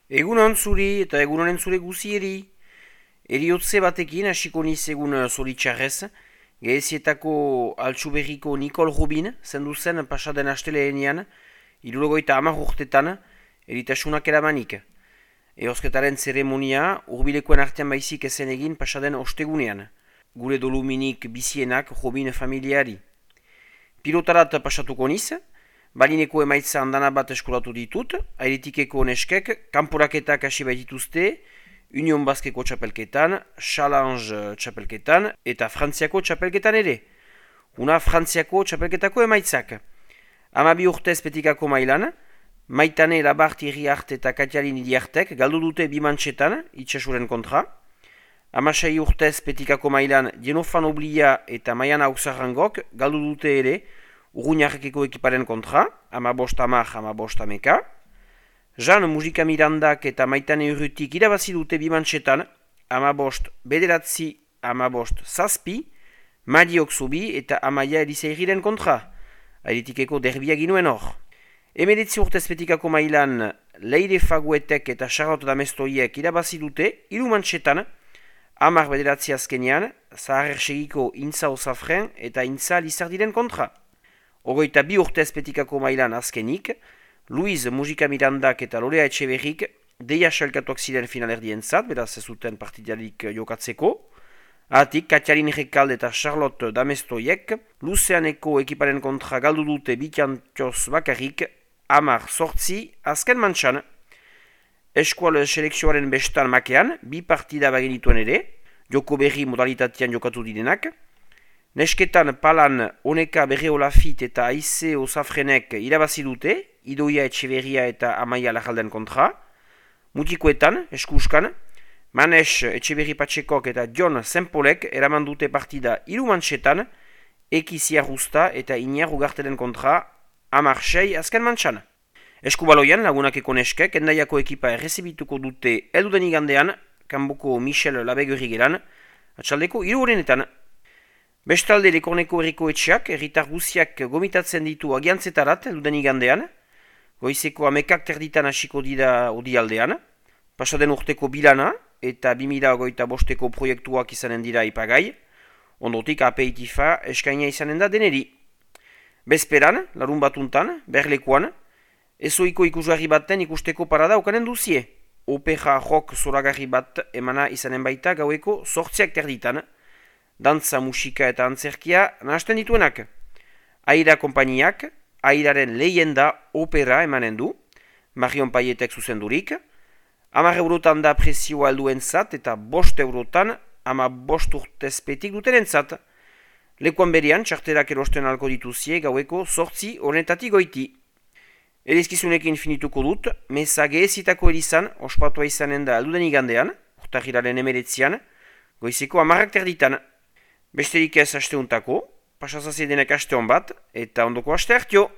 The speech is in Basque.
Egunon zuri eta egunonen zure guzieri. Eriotze batekin hasiko niz egun zoritxarrez. Gehezietako altsuberriko Nicole Rubin, zendu zen pasaden asteleenean, 70 urtetan, eritasunak eramanik. Eosketaren zeremonia urbilekoen artean baizik ezen egin pasaden ostegunean. Gure doluminik bizienak Rubin familiari. Pilotarat pasatuko niz, balineko emaitza handana bat eskolatu ditut, airetikeko neskek, kanporaketak hasi baitituzte, Union Baskeko txapelketan, Challenge txapelketan eta Frantziako txapelketan ere. Una Frantziako txapelketako emaitzak. 12 urtez petikako mailan, Maitane Labart Iriart eta Katialin Iriartek galdu dute bimantxetan, itxasuren kontra. 16 urtez petikako mailan, Jenofan Oblia eta Maian Auxarrangok galdu dute ere, Urruñarrekeko ekiparen kontra, 15-10, 15-10. Jean Mujika Mirandak eta Maitane Urrutik irabazi dute bimantxetan, 15-9, 15-7, Madiok Zubi eta Amaia Eliseiriren kontra. Airetikeko derbia ginuen hor. 19 urtez petikako mailan, Leire Faguetek eta Charlotte Damestoiek irabazi dute, 3 mantxetan, 10-9 azkenean, Zaharrsegiko Intza Osafren eta Intza Lizardiren kontra. 22 urtez petikako mailan azkenik, Luiz Mujika Mirandak eta Lorea Etxeberrik deia xalkatuak ziren finalerdientzat, beraz ez zuten partidarik jokatzeko. Atik, Katialin Rekald eta Charlotte Damestoiek Luzeaneko ekiparen kontra galdu dute bitantioz bakarrik, 10-8 azken mantxan. Eskual selekzioaren bestan makean, 2 partida bagenituen ere, joko berri modalitatean jokatu direnak. Nesketan palan Oneka Berreolafit eta Aize Osafrenek irabazi dute, Idoia Etxeberria eta Amaia Lajalden kontra. Mutikoetan, eskuskan, Manes Etxeberri Patxekok eta John Sempolek eraman dute partida 3 mantxetan, Eki Ziarrusta eta Iñar Ugartelen kontra, 10-6 azken mantxan. Eskubaloian lagunakeko neskek, endaiako ekipa errezibituko dute elduden igandean, kanboko Michel Labegurri geran, atxaldeko 3 horrenetan. Bestalde Lekorneko herriko etxeak, herritar guziak gomitatzen ditu agiantzetarat elduden igandean, goizeko 11 hasiko dira odialdean, pasaden urteko bilana eta 2025ko proiektuak izanen dira ipagai, ondotik apeitifa eskaina izanen da deneri. Bezperan, larun batuntan, berlekuan, ezoiko ikusgarri baten ikusteko parada okanen duzie. Opera rock zoragarri bat emana izanen baita gaueko 8:00 dantza, musika eta antzerkia nahasten dituenak. Aira konpainiak, Airaren lehenda opera emanen du, Marion Paietek zuzendurik, 10 eurotan da prezioa helduentzat eta 5 eurotan 15 urtezpetik dutenentzat. Lekuan berian, txarterak erosten alko dituzie gaueko 8 horretatik goiti. Erizkizunekin finituko dut, meza gehezitako erizan, ospatua izanen da elduden igandean, urtahiraren 19, goizeko 10:00. Besterik ez asteuntako, pasazazien denek asteon bat, eta ondoko aste hartio!